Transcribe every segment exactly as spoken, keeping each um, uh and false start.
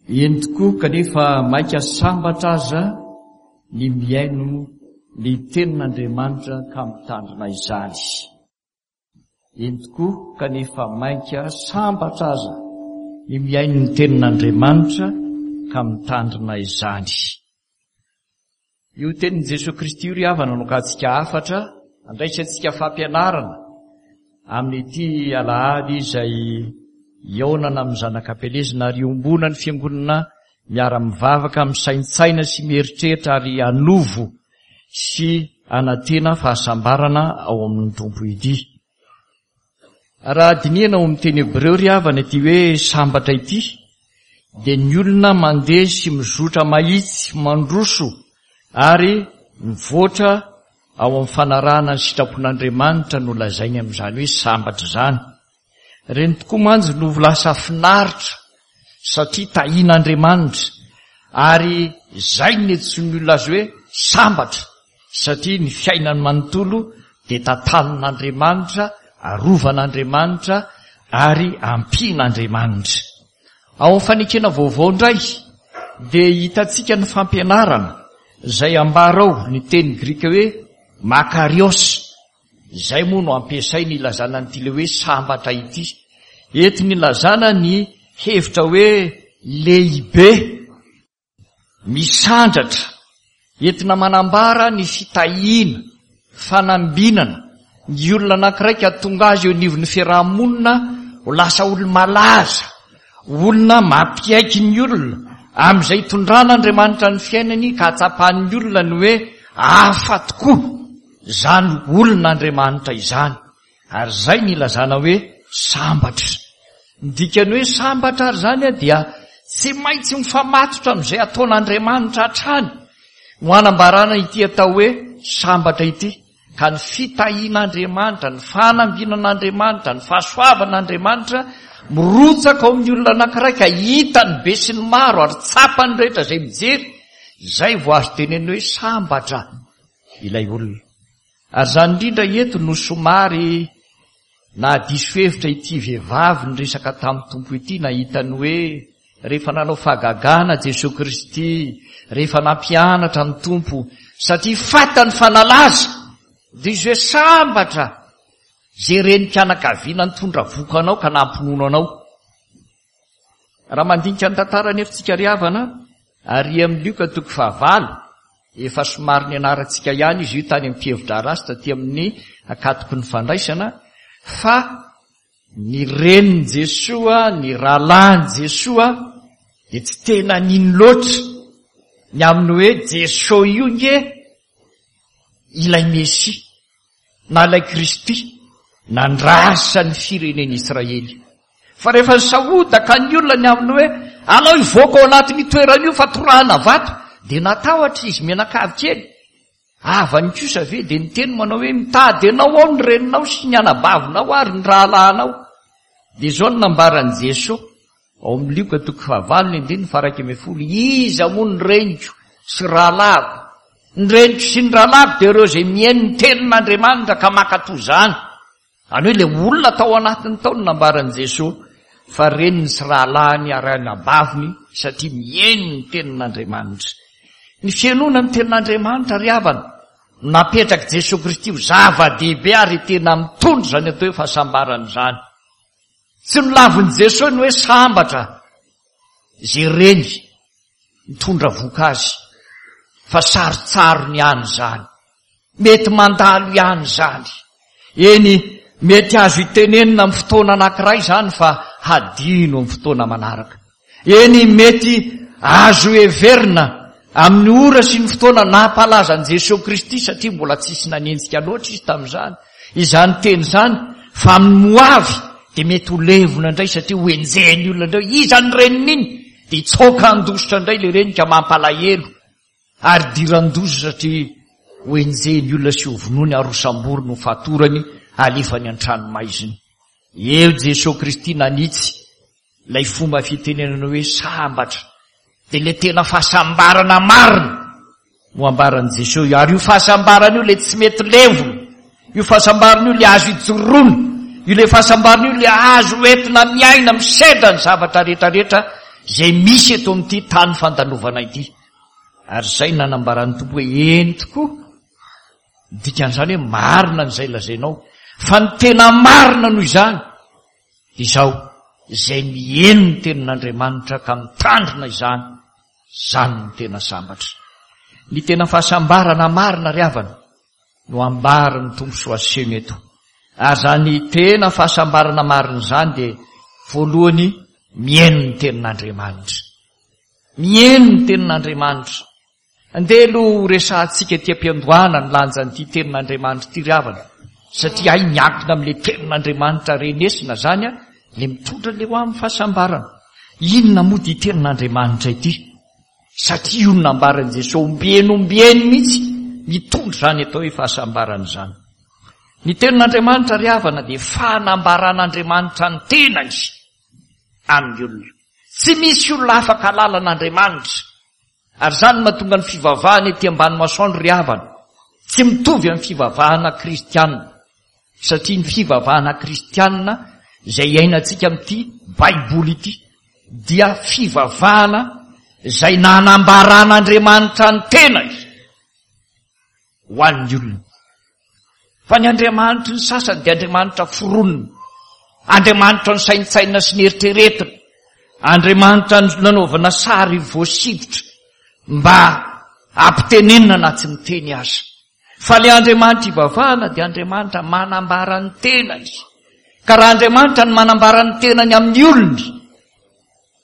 Eny tokoa, kanefa maika sambatra aza ny mihaino ny tenin'Andriamanitra ka mitandrina izany. Eny tokoa, kanefa mainka sambatra aza ny mihaino ny tenin'Andriamanitra ka mitandrina izany. Io tenin'i Jesoa Kristy io ry havana no akantsika hafatra, andraisantsika fampianarana amin'ity alahady izay hihaonana amin'ny zanak'Ampielezana ary iombonan'ny fiangonana miara-mivavaka, misaintsaina sy mieritreritra ary hanovo sy hanantena fahasambarana ao amin'ny Tompo ity. Raha dinihana ao amin'ny teny hebreo ry havana ity hoe sambatra ity, dia ny olona mandeha sy mizotra mahitsy, mandroso ary mivoatra ao amin'ny fanarahana ny sitrapon'Andriamanitra no lazainy amin'izany hoe sambatra izany. Ireny tokoa mantsy no lasa finaritra satria tahian'Andriamanitra, ary izay no niantsoan'ny olona azy hoe sambatra, satria ny fiainany manontolo dia tantanin'Andriamanitra, arovan'Andriamanitra ary ampian'Andriamanitra. Ao amin'ny fanekena vaovao indray dia hitantsika ny fampianarana izay ambara ao, ny teny grika hoe makarios, izay moa no ampiasainy ilazana an'ity ilay hoe sambatra ity. Entiny ilazana ny hevitra hoe lehibe, misandratra, entina manambara ny fitahiana, fanambinana, ny olona anankiray ka tonga azy eo anivon'ny fiarahamonina ho lasa olo-malaza, olona mampiaiky ny olona amin'izay itondran'Andriamanitra ny fiainany ka hatsapan'ny olona ny hoe hafa tokoa izany olon'Andriamanitra izany. Ary izay ny ilazana hoe sambatra. Ny dikan'ny hoe sambatra ary izany dia tsy maintsy mifamatotra amin'izay ataon'Andriamanitra hatrany no hanambarana ity atao hoe sambatra ity. Ka ny fitahian'Andriamanitra, ny fanambinan'Andriamanitra, ny fahasoavan'Andriamanitra mirotsaka ao amin'ny olona anankiray ka hitan'ny be sy ny maro ary tsapan'ny rehetra izay mijery, izay vao azo tenenina hoe sambatra ilay olona. Ary izany indrindra eto no somary nahadiso hevitra ity vehivavy niresaka tamin'ny Tompo ity, nahita ny hoe rehefa nanao fahagagana Jesoa Kristy, rehefa nampianatra ny Tompo, satria fantany fa nalaza, dia izy hoe sambatra izay renim-pianakaviana nitondra vohoka anao ka nampinono anao. Raha mandinika ny tantara anefa tsika ry havana, ary amin'ny Lioka toko fahavalo, efa somary nianarantsika ihany izy io tany amin'ny mpihevi-draharaha sy taty amin'ny ankatoky ny fandraisana, fa ny renin'i Jesoa, ny rahalahin'i Jesoa dia tsy tena nino loatra ny amin'ny hoe Jesoa io nge ilay Mesia na ilay Kristy nandrasan'ny firenen'Israely. Fa rehefa nisahodaka ny olona ny amin'ny hoe alao hivoaka ao anatin'io toerana io fa torahana vato, dia natahotra izy mianakavy kely. Havany kosa ve dia niteny manao hoe mitady anao ao ny reninao sy ny anabavinao ary ny rahalahinao. Dia izao no nambaran'i Jesoa ao amin'ny Lioka toko fahavalo ny andininy faha-iraika ambin'ny folo, iza moa ny reniko sy rahalahiko? Ny reniko sy ny rahalahiko dia ireo izay mihaino ny tenin'Andriamanitra ka mankatò izany. Izany hoe ilay olona tao anatiny tao no nambaran'i Jesoa fa reniny sy rahalahiny ary anabaviny satria mihaino ny tenin'Andriamanitra. Ny fihainoana ny tenin'Andriamanitra ry havana no napetrak'i Jesoa Kristy ho zava-dehibe ary tena mitondra izany atao hoe fahasambarana izany. Tsy nolavin'i Jesoa ny hoe sambatra izay reny mitondra vohoka azy fa sarotsarony ihany izany. Mety mandalo ihany izany. Eny, mety azo itenenina amin'ny fotoana anankiray izany fa hadino amin'ny fotoana manaraka. Eny, mety azo heverina amin'ny ora sy ny fotoana nampalaza an'i Jesoa Kristy, satria mbola tsisy nanenjika loatra izy tamin'izany, izany teny izany, fa amin'ny ho avy dia mety ho levona indray satria ho enjehin'ny olona indray. Iza ny reniny iny? Dia hitsoaka handositra indray ilay reny ka mampalahelo. Ary diran-doza satria ho enjehin'ny olona sy ho vonoiny ary ho samboriny ho fatorany alefany an-tranomaizina. Eo Jesoa Kristy nanitsy ilay fomba fitenenana hoe sambatra, dia ilay tena fahasambarana marina no ambaran'i Jesoa io. Ary io fahasambarana io ilay tsy mety levona, io fahasambarana io ilay azo ijoroana, io ilay fahasambarana io ilay azo entina miaina, misedra ny zavatra rehetrarehetra izay misy eto amin'ity tany fandalovana ity. Ary izay nanambaran'ny Tompo hoe eny tokoa, dikan'izany hoe marina an'izay lazainao, fa ny tena marina noho izany izao, izay mihaino ny tenin'Andriamanitra ka mitandrina izany, izany no tena sambatra. Ny tena fahasambarana marina ry havana no ambaran'ny Tompo sy ho asehony eto. Ary izany tena fahasambarana marina izany dia voalohany mihaino ny tenin'Andriamanitra. Mihaino ny tenin'Andriamanitra. Andeha aloha ho resahantsika ety am-piandohana ny lanjan'ity tenin'Andriamanitra ity ry havana, satria hay miankina amin'ilay tenin'Andriamanitra renesina izany a, ilay mitondra ilay ho amin'ny fahasambarana. Inona moa ity tenin'Andriamanitra ity? Satria io no nambaran'i Jesoa ombieny ombieny mihitsy mitondra izany atao hoe fahasambarana izany. Ny tenin'Andriamanitra ry havana dia fanambaran'Andriamanitra ny tenany amin'ny olona. Tsy misy olona afaka hahalala an'Andriamanitra. Ary izany no mahatonga ny fivavahana ety ambany masoandro ry havana tsy mitovy amin'ny fivavahana kristianina. Satria ny fivavahana kristianina izay iainantsika amin'ity Baiboly ity dia fivavahana izay nanambaran'Andriamanitra ny tenany ho an'ny olona. Fa ny andriamanitry ny sasany dia andriamanitra foronina, andriamanitra nosaintsainina sy neritreretina, andriamanitra nanaovana sary voasikotra mba hampitenenina na tsy miteny aza. Fa ilay Andriamanitra ivavahana dia Andriamanitra manambara ny tenany. Ka raha Andriamanitra no manambara ny tenany amin'ny olony,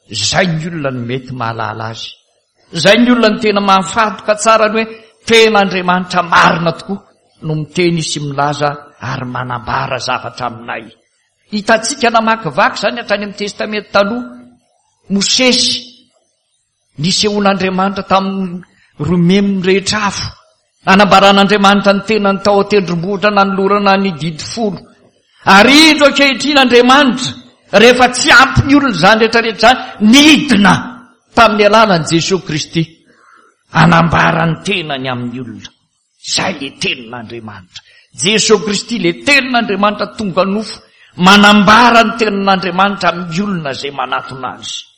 izay ny olona no mety mahalala azy. Izay ny olona no tena mahafantoka tsara ny hoe tena Andriamanitra marina tokoa no miteny sy milaza ary manambara zavatra aminay. Hitantsika namakivaky izany hatrany amin'ny Testamenta Taloha. Mosesy nisehoan'Andriamanitra tamin'ny romeminy rehetra afo. Nanambaran'Andriamanitra ny tenany tao an-tendrombohitra nanolorana ny didy folo. Ary indro ankehitriny Andriamanitra, rehefa tsy ampy ny olona izany rehetra rehetra izany, nidina tamin'ny alalan'i Jesoa Kristy hanambara ny tenany amin'ny olona. Izay ilay tenin'Andriamanitra. Jesoa Kristy ilay tenin'Andriamanitra tonga nofo, manambara ny tenin'Andriamanitra amin'ny olona izay manatona azy.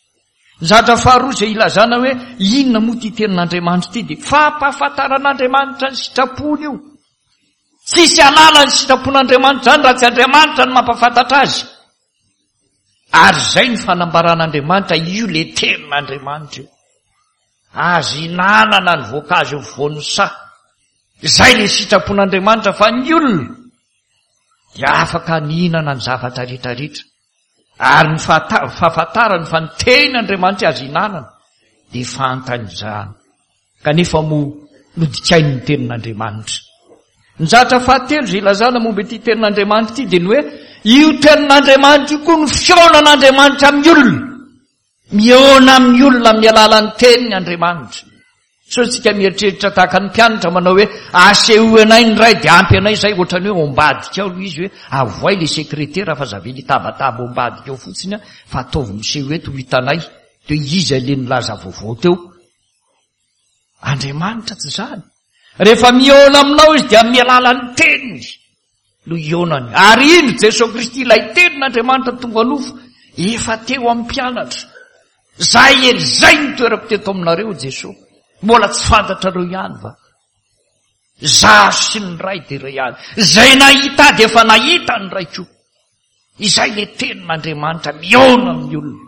Ny zavatra faharoa izay ilazana hoe inona moa ity tenin'Andriamanitra ity dia fampahafantaran'Andriamanitra ny sitrapony io. Tsisy halala ny sitrapon'Andriamanitra izany raha tsy Andriamanitra no mampahafantatra azy. Ary izay ny fanambaran'Andriamanitra, io ilay tenin'Andriamanitra io. Azo hinanana ny voankazo eo afovoan'ny saha. Izay ilay sitrapon'Andriamanitra fa ny olona dia afaka nihinana ny zavatra rehetra rehetra. Ary ny fahafantarany fa ny tenin'Andriamanitra azo hinanana dia fantany izany. Kanefa moa nodikainy ny tenin'Andriamanitra. Ny zavatra fahatelo izay ilazana momba ity tenin'Andriamanitra ity dia ny hoe io tenin'Andriamanitra io koa no fihaonan'Andriamanitra amin'ny olona. Mihaona amin'ny olona amin'ny alalan'ny teniny Andriamanitra. Sao isika mieritreritra tahaka ny mpianatra manao hoe asehoy anay ny Ray dia ampy anay izay, ohatran'ny hoe ao ambadika ao ilay izy hoe avoay ilay sekretera fa za ve hitabataba ao ambadika ao fotsiny fa ataovy miseho eto ho hitanay dia iza ilay nilaza vaovao teo. Andriamanitra tsy izany. Rehefa mihaona aminao izy dia amin'ny alalan'ny teniny no hihaonany. Ary indro Jesoa Kristy ilay tenin'Andriamanitra tonga nofo efa teo amin'ny mpianatra. Zay eny, zay ny toerako teto aminareo Jesoa. Mbola tsy fantatrareo ihany va? Zaho sy ny Ray dia iray ihany. Zay nahita ahy dia efa nahita ny Ray koa. Izay ilay tenin'Andriamanitra mihaona amin'ny olona.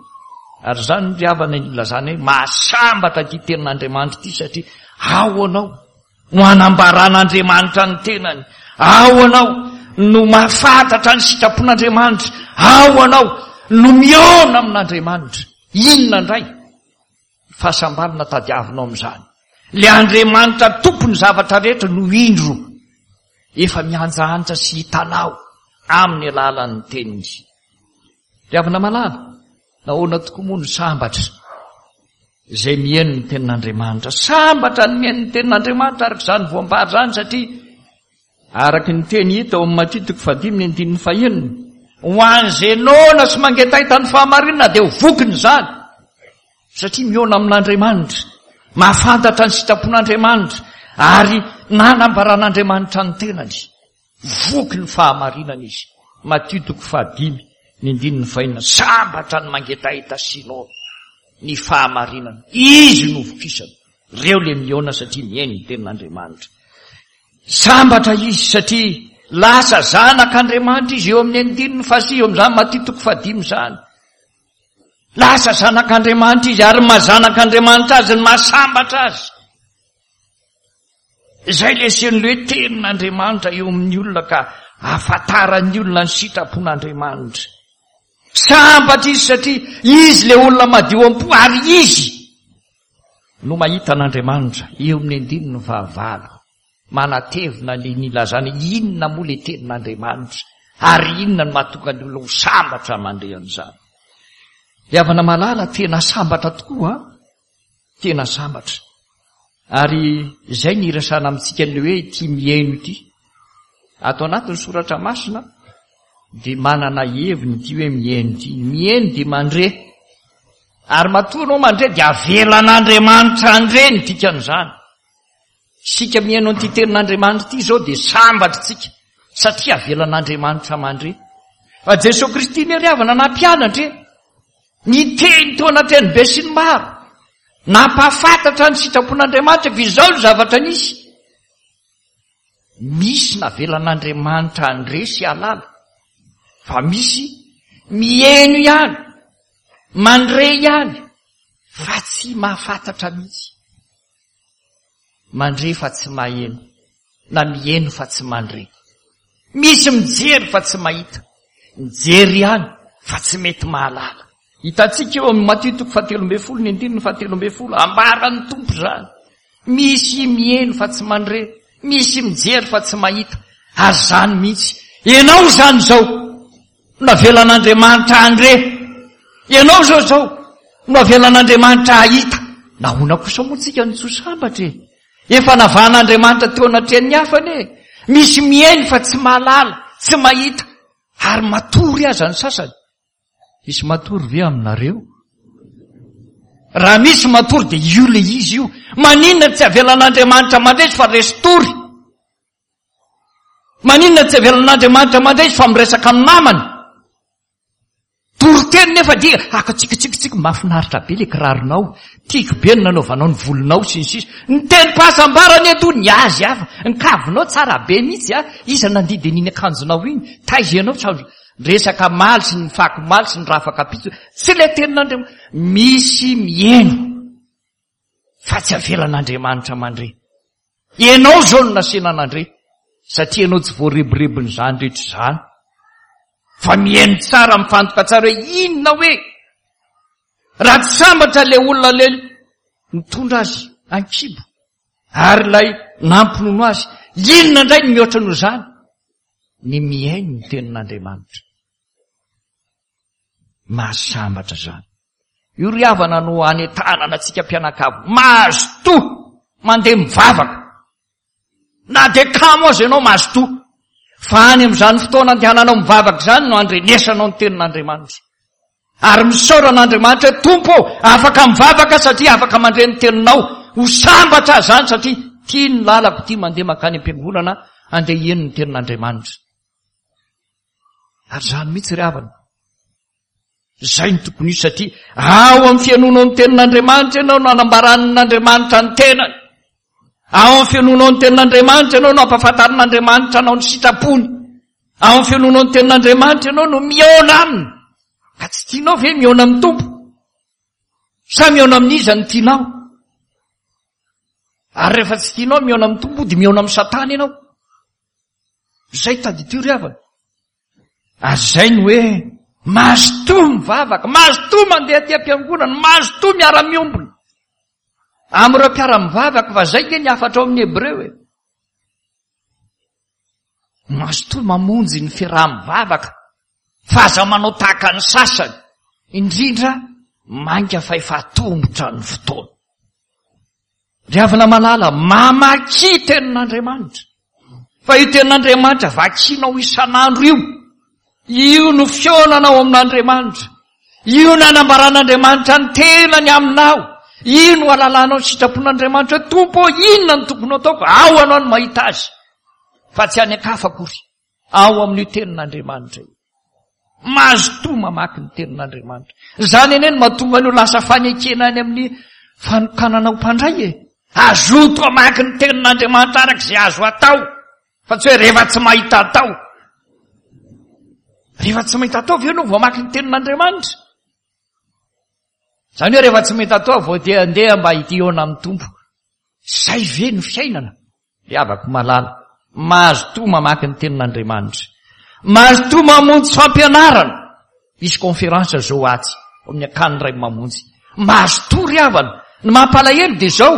Ary izany ry havana ilazana hoe mahasambatra ity tenin'Andriamanitra ity satria ao anao no hanambaran'Andriamanitra ny tenany. Ao anao no mahafantatra ny sitrapon'Andriamanitra. Ao anao no mihaona amin'Andriamanitra. Inona indray fahasambarana tadiavinao amin'izany? Ilay Andriamanitra tompon'ny zavatra rehetra no indro efa mianjaanja sy hitanao amin'ny alalan'ny teniny. Ry havana malala, nahoana tokoa moa no sambatra izay mihaino ny tenin'Andriamanitra? Sambatra ny mihaino ny tenin'Andriamanitra araka izany voambary izany, satria araka ny teny hita ao amin'ny Matio toko fahadimy ny andininy fahenina, ho an'izay noana sy mangetaheta ny fahamarinana dia ho vokiny izany, satria mihaona amin'Andriamanitra, mahafantatra ny sitrapon'Andriamanitra ary nanambaran'Andriamanitra ny tenany. Voky ny fahamarinana izy. Matio toko fahadimy ny andininy fahenina, sambatra ny mangetaheta sy noana. ny fahamarinana. Izy no vokisana. Ireo le mihaona satria mihaino ny tenin'Andriamanitra. Sambatra izy satria lasa zanak'Andriamanitra izy eo amin'ny andininy fahasivy amin'izany Matio toko fahadimy izany. Lasa zanak'Andriamanitra izy ary maha zanak'Andriamanitra azy ny mahasambatra azy. Izay le asehon'ilay hoe tenin'Andriamanitra eo amin'ny olona ka ahafantaran'ny olona ny sitrapon'Andriamanitra. Sambatra izy satria izy le olona madio am-po ary izy no mahita an'Andriamanitra eo amin'ny andininy fahavalo. Manatevina ny nilazana inona moa le tenin'Andriamanitra ary inona no mahatonga ny olona ho sambatra mandre an'izany. Ry havana malala, tena sambatra tokoa, tena sambatra. Ary izay ny irasana amintsika ny hoe ity mihaino ity. Ato anatin'ny soratra masina dia manana heviny ity hoe mihaino ity. Mihaino dia mandre. Ary matoa anao mandre dia avelan'Andriamanitra handre ny dikan'izany. Isika mihaino an'ity tenin'Andriamanitra ity izao dia sambatra isika satria avelan'Andriamanitra mandre. Fa Jesoa Kristy ne ry havana nampianatra e. Niteny teo anatrehan'ny besinimaro. Nampahafantatra ny sitrapon'Andriamanitra fa izao ny zavatra nisy. Misy navelan'Andriamanitra handre sy hahalala. Fa misy mihaino ihany, mandre ihany, fa tsy mahafantatra mihitsy. Mandre fa tsy maheno, na mihaino fa tsy mandre. Misy mijery fa tsy mahita, mijery ihany fa tsy mety mahalala. Hitantsika eo amin'ny Matio toko fahatelo ambin'ny folo, ny andininy fahatelo ambin'ny folo, ambaran'ny Tompo izany. Misy mihaino fa tsy mandre, misy mijery fa tsy mahita. Ary izany mihitsy. Ianao izany izao no avelan'Andriamanitra handre. Ianao izao izao no avelan'Andriamanitra hahita. Nahoana kosa moa tsika no tsy ho sambatra e? Efa navahan'Andriamanitra teo anatrehan'ny hafa anie. Misy mihaino fa tsy mahalala, tsy mahita, ary matory aza ny sasany. Misy matory ve aminareo? Raha misy matory dia io le izy io. Maninona tsy avelan'Andriamanitra mandresy fa resy tory? Maninona tsy avelan'Andriamanitra mandresy fa miresaka amin'ny namany? Toriteny nefa dia akatsikitsikitsiky, mahafinaritra be le kiraronao, tiako be ny nanaovanao ny volonao sy ny sisa. Ny tenim-pahasambarana eto ny azy hafa, ny kavinao tsara be mihitsy a, iza nandidy an'iny akanjonao iny, taiza ianao tsy azo resaka maly sy ny fako maly sy ny rafaka-pitso, tsy le tenin'Andriamanitra. Misy mihaino fa tsy avelan'Andriamanitra mandre. Ianao izao no nasiana nandre, satria ianao tsy voarebirebin'izany rehetra izany. Fa mihaino tsara, mifantoka tsara hoe inona hoe raha tsy sambatra ilay olona ilay nitondra azy an-kibo ary ilay nampinono azy, inona indray ny mihoatra noho izany? Ny mihaino ny tenin'Andriamanitra. Mahasambatra izany. Io ry havana no anentanana antsika mpianakavy. Mazotoa mandeha mivavaka. Na dia kamo aza ianao, mazotoa. Fa any amin'izany fotoana andehananao mivavaka izany no andrenesanao ny tenin'Andriamanitra. Ary misaora an'Andriamanitra hoe, Tompo ô, afaka mivavaka satria afaka mandre ny teninao. Ho sambatra aho izany satria tia ny lalako, tia mandeha mankany am-piangonana andeha hihaino ny tenin'Andriamanitra. Ary izany mihitsy ry havana. Izay no tokony hisy satria ao amin'ny fihainoanao ny tenin'Andriamanitra ianao no anambaran'Andriamanitra ny tenany. Ao amin'ny fihainoanao ny tenin'Andriamanitra ianao no ampahafantarin'Andriamanitra anao ny sitrapony. Ao amin'ny fihainoanao ny tenin'Andriamanitra ianao no mihaona aminy. Ka tsy tianao ve mihaona amin'ny Tompo? Sa mihaona amin'iza no tianao? Ary rehefa tsy tianao mihaona amin'ny Tompo dia mihaona amin'ny Satana ianao. Izay tadidio ry havana. Ary izay ny hoe mazotoa mivavaka, mazotoa mandeha aty am-piangonana, mazotoa miara-miombona amin'ireo mpiara-mivavaka, fa izay nge ny hafatra ao amin'ny Hebreo e. Mazotoa mamonjy ny fiaraha-mivavaka, fa aza manao tahaka ny sasany, indrindra mainka fa efa atombotra ny fotoana. Ry havana malala, mamakia tenin'Andriamanitra. Fa io tenin'Andriamanitra vakianao isan'andro io, io no fihaonanao amin'Andriamanitra. Io no anambaran'Andriamanitra ny tenany aminao. Io no alalanao ny sitrapon'Andriamanitra hoe, Tompo ô, inona no tokony hataoko? Ao anao no mahita azy, fa tsy any an-kafa akory. Ao amin'io tenin'Andriamanitra io. Mazotoa mamaky ny tenin'Andriamanitra. Izany anie no mahatonga an'io lasa fanekena any amin'ny fanokanana ho mpandray e. Azoto hamaky ny tenin'Andriamanitra araka izay azo atao, fa tsy hoe rehefa tsy mahita atao. Rehefa tsy mahita atao ve ianao vao hamaky ny tenin'Andriamanitra? Izany hoe rehefa tsy mahita atao vao dia andeha mba hihaona amin'ny Tompo. Izay ve no fiainana? Ry havako malala, mazotoa mamaky ny tenin'Andriamanitra. Mazotoa mamonjy fampianarana. Hisy conférence zao atsy amin'ny akany Ray Mamonjy. Mazotoa ry havana. Ny mampalahelo dia izao.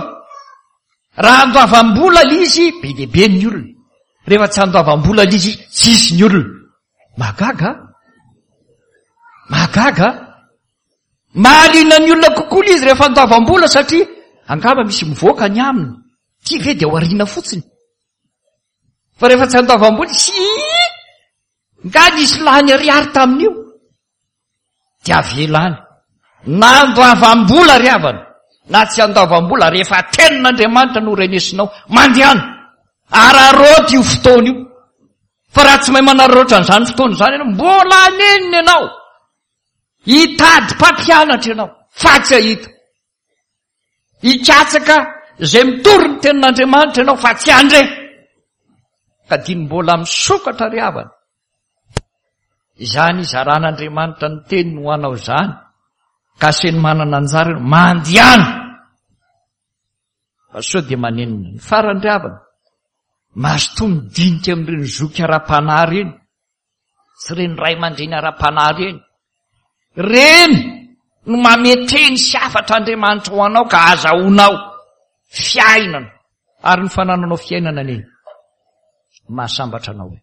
Raha andoavam-bola ilay izy, be dia be ny olona. Rehefa tsy andoavam-bola ilay izy, tsisy ny olona. Mahagaga a? Mahagaga a? Mahaliana ny olona kokoa ilay izy rehefa andoavam-bola satria angamba misy mivoaka ny aminy. Ity ve dia aoriana fotsiny. Fa rehefa tsy andoavam-bola, sy nga nisy lany ariary tamin'io. Dia avela any. Na andoavam-bola ry havana, na tsy andoavam-bola, rehefa tenin'Andriamanitra no renesinao, mandehana. Araraoty io fotoana io. Fa raha tsy mahay manararaotra an'izany fotoana izany ianao, mbola hanenina ianao. Hitady mpampianatra ianao, fa tsy hahita. Hikatsaka izay mitory ny tenin'Andriamanitra ianao, fa tsy handre. Ka diny mbola misokatra ry havana. Izany izaran'Andriamanitra ny teniny ho anao izany, ka aseny manana anjara ianao, mandehana. Fa sao dia manenina. Ny farany ry havana, mazotoa midinika amin'ireny zoky ara-panahy ireny, sy ireny ray aman-dreny ara-panahy ireny. Ireny no mametreny sy hafatra Andriamanitra ho anao ka azahoanao fiainana. Ary ny fanananao fiainana anie mahasambatra anao e.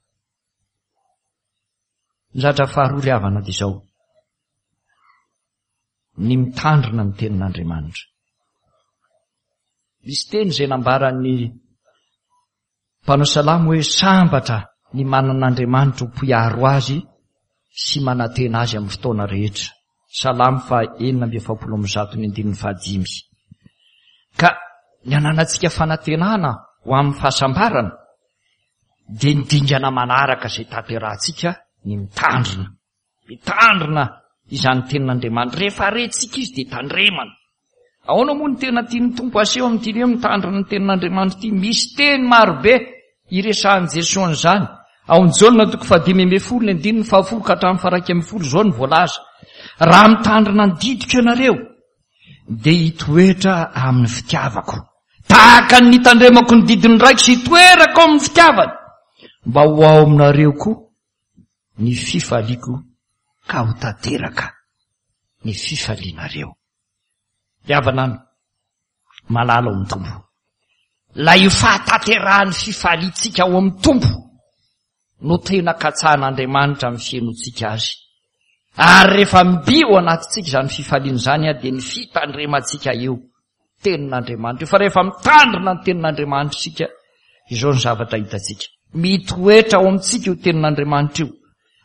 Ny zavatra faharoa ry havana dia izao, ny mitandrina ny tenin'Andriamanitra. Misy teny izay nambaran'ny mpanao salamo hoe sambatra ny manan'Andriamanitra ho mpiaro azy sy manantena azy amin'ny fotoana rehetra. Salamo faha enina amby efapolo amby zato ny andininy fahadimy. Ka ny ananantsika fanantenana ho amin'ny fahasambarana dia ny dingana manaraka izay tanterahantsika ny mitandrina. Mitandrina izany tenin'Andriamanitra. Rehefa rentsika izy dia tandremana. Ahoana moa ny tena tian'ny Tompo aseho amin'ity hoe mitandrina ny tenin'Andriamanitra ity? Misy teny marobe iresahan'i Jesoa an'izany. Ao amin'ny Jaona toko fahadimy ambin'ny folo ny andininy fahafolo ka hatramin'ny faharaika ambin'ny folo izao no voalaza. Raha mitandrina ny didiko ianareo, dia hitoetra amin'ny fitiavako. Tahaka ny nitandremako ny didin'ny Raiko sy hitoerako amin'ny fitiavany, mba ho ao aminareo koa ny fifaliako ka ho tanteraka ny fifalianareo. Ry havana malala ao amin'ny Tompo, ilay io fahatanterahan'ny fifaliantsika ao amin'ny Tompo no tena katsahan'Andriamanitra amin'ny fihainoantsika azy. Ary rehefa mby ao anatintsika izany fifaliana izany, dia ny fitandremantsika io tenin'Andriamanitra io. Fa rehefa mitandrina ny tenin'Andriamanitra isika, izao ny zavatra hitantsika. Mitoetra ao amintsika io tenin'Andriamanitra io.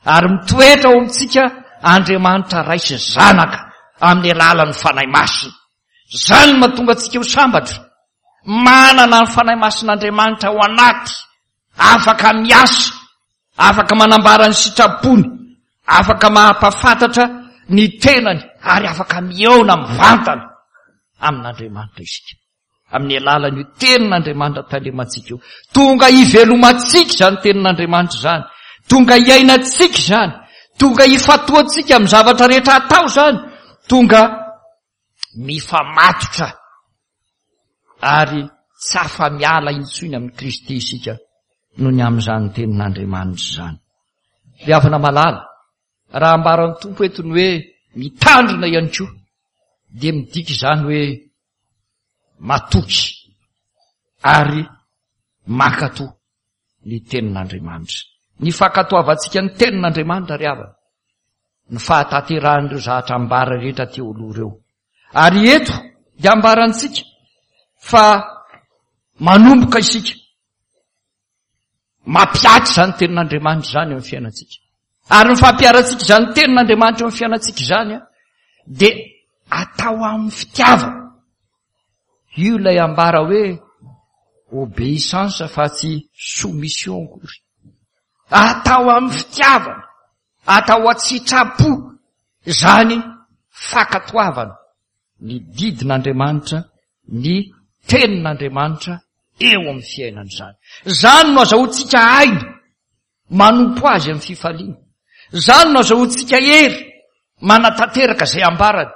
Ary mitoetra ao amintsika Andriamanitra Ray sy Zanaka amin'ny alalan'ny Fanahy Masina. Izany no mahatonga antsika ho sambatra. Manana ny Fanahy Masin'Andriamanitra ao anaty, afaka miasa, afaka manambara ny sitrapony, afaka mampahafantatra ny tenany, ary afaka mihaona mivantana amin'Andriamanitra isika. Amin'ny alalan'io tenin'Andriamanitra tandremantsika io. Tonga hivelomantsika izany tenin'Andriamanitra izany. Tonga hiainantsika izany. Tonga hifatoantsika amin'ny zavatra rehetra atao izany. Tonga mifamatotra ary tsy afa-miala intsony amin'i Kristy isika noho ny amin'izany tenin'Andriamanitra izany. Ry havana malala, raha ambaran'ny Tompo eto ny hoe mitandrina ihany koa, dia midika izany hoe matoky ary mankatò ny tenin'Andriamanitra. Ny fankatoavantsika ny tenin'Andriamanitra ry havana, ny fahatanterahan'ireo zavatra ambara rehetra teo aloha ireo. Ary eto dia ambarantsika fa manomboka isika mampihatra izany tenin'Andriamanitra izany eo amin'ny fiainantsika. Ary ny fampiharantsika izany tenin'Andriamanitra eo amin'ny fiainantsika izany dia atao amin'ny fitiavana. Io ilay ambara hoe obéissance fa tsy soumission akory. Atao amin'ny fitiavana. Atao an-tsitrapo izany fankatoavana ny didin'Andriamanitra, ny tenin'Andriamanitra eo amin'ny fiainana izany. Izany no azahoantsika aina manompo azy amin'ny fifaliana. Izany no azahoantsika hery manatanteraka izay ambarany.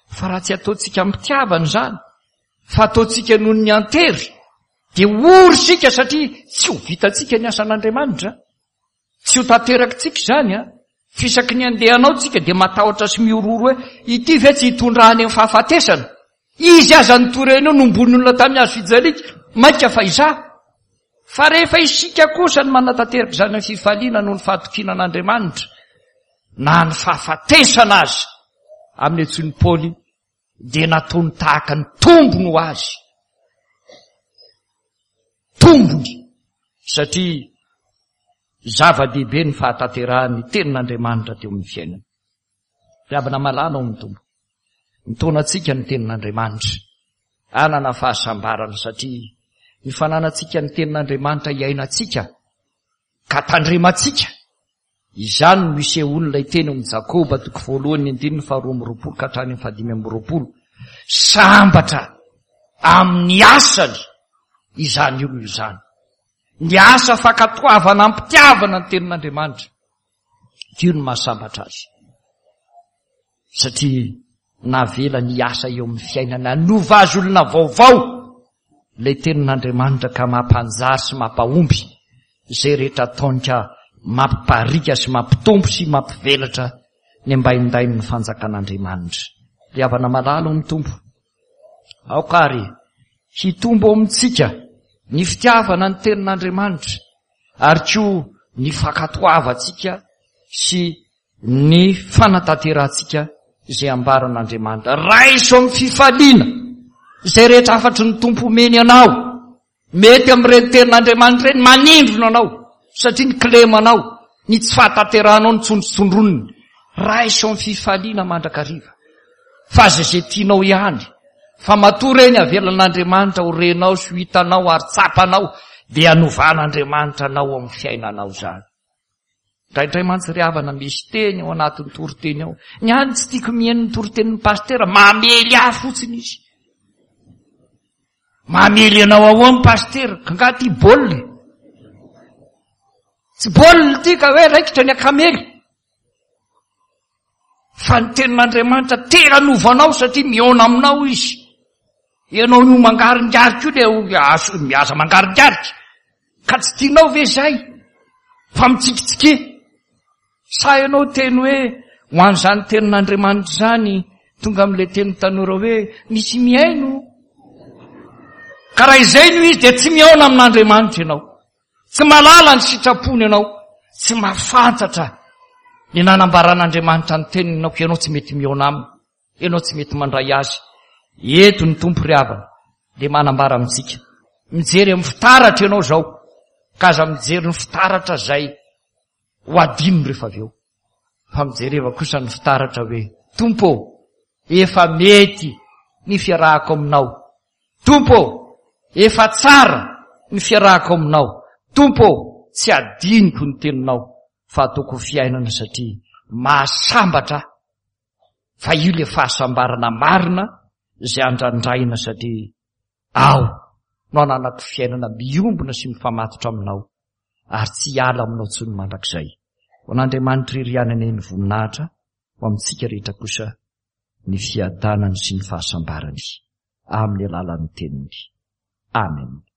Fa raha tsy ataontsika am-pitiavana izany, fa ataontsika noho ny antery, dia ory isika satria tsy ho vitantsika ny asan'Andriamanitra. Tsy ho tanterakitsika izany an. Fisaky ny andehanao tsika dia matahotra sy mihorohoro hoe ity ve tsy hitondra any amin'ny fahafatesana? Izy aza nitory an'io nombon'ny olona tamin'ny hazo fijaliana, mainka fa izaho. Fa rehefa isika kosa no manatanteraka izany amin'ny fifaliana noho ny fahatokiana an'Andriamanitra, na ny fahafatesana aza, amin'ny antsoin'i Paoly, dia nataony tahaka ny tombony ho azy. Tombony, satria zava-dehibe ny fahatanterahan'ny tenin'Andriamanitra teo amin'ny fiainana. Ry havana malala ao amin'ny Tompo, mitaona antsika ny tenin'Andriamanitra hanana fahasambarana satria ny fananantsika ny tenin'Andriamanitra iainantsika ka tandremantsika. Izany no isehoan'ilay teny ao amin'ny Jakoba toko voalohany andininy faharoa amby roapolo ka hatrany amin'ny fahadimy amby roapolo. Sambatra amin'ny asany izany olona izany. Ny asa fankatoavana am-pitiavana ny tenin'Andriamanitra. Io no mahasambatra azy. Satria navela ny asa eo amin'ny fiainana hanova azy olona vaovao ilay tenin'Andriamanitra ka mampanjary sy mampahomby izay rehetra ataony ka mampiparika sy mampitombo sy mampivelatra ny ambaindain'ny fanjakan'Andriamanitra. Ry havana malala ao amin'ny Tompo, aoka ary hitombo ao amintsika ny fitiavana ny tenin'Andriamanitra ary koa ny fankatoavantsika sy ny fanatanterahantsika izay ambaran'Andriamanitra. Raiso amin'ny fifaliana izay rehetra hafatry ny Tompo omeny anao. Mety amin'ireny tenin'Andriamanitra ireny manindrona anao satria ny kilemanao, ny tsy fahatanterahanao no tsondrotsondroniny. Raiso amin'ny fifaliana mandrakariva fa aza izay tianao ihany. Fa matoa ireny avelan'Andriamanitra ho renao sy ho hitanao ary tsapanao, dia hanovan'Andriamanitra anao amin'ny fiainanao izany. Indraindray mantsy ry havana misy teny ao anatin'ny toriteny ao. Ny ahy tsy tiako mihaino ny toritenin'ny pasitera, mamely ahy fotsiny izy. Mamely anao ahoa ny pasitera, ka angaha ity baolina? Tsy baolina ity ka hoe raikitra ny akamely. Fa ny tenin'Andriamanitra te hanova anao satria mihaona aminao izy. Ianao io mangaringarika io le azo miaza mangaringarika. Ka tsy tianao ve izay? Fa mitsikitsiky. Sa ianao teny hoe ho an'izany tenin'Andriamanitra izany tonga amin'ilay teny tanora hoe misy mihaino. Ka raha izay no izy dia tsy mihaona amin'Andriamanitra ianao. Tsy mahalala ny sitrapony ianao. Tsy mahafantatra ny nanambaran'Andriamanitra ny teniny ianao, ka ianao tsy mety mihaona aminy. Ianao tsy mety mandray azy. Eto ny Tompo ry havana dia manambara amintsika. Mijery amin'ny fitaratra ianao izao, ka aza mijery ny fitaratra izay ho adino rehefa avy eo. Fa mijereva kosa ny fitaratra hoe, Tompo ô, efa mety ny fiarahako aminao. Tompo ô, efa tsara ny fiarahako aminao. Tompo ô, tsy adinoko ny teninao, fa ataoko ho fiainana satria mahasambatra ahy. Fa io ilay fahasambarana marina izay andrandraina satria ao no ananako fiainana miombona sy mifamatotra aminao ary tsy hiala aminao intsony mandrakizay. Ho an'Andriamanitra irery ihany anie ny voninahitra, ho amintsika rehetra kosa ny fiadanany sy ny fahasambarany amin'ny alalan'ny teniny. Amen.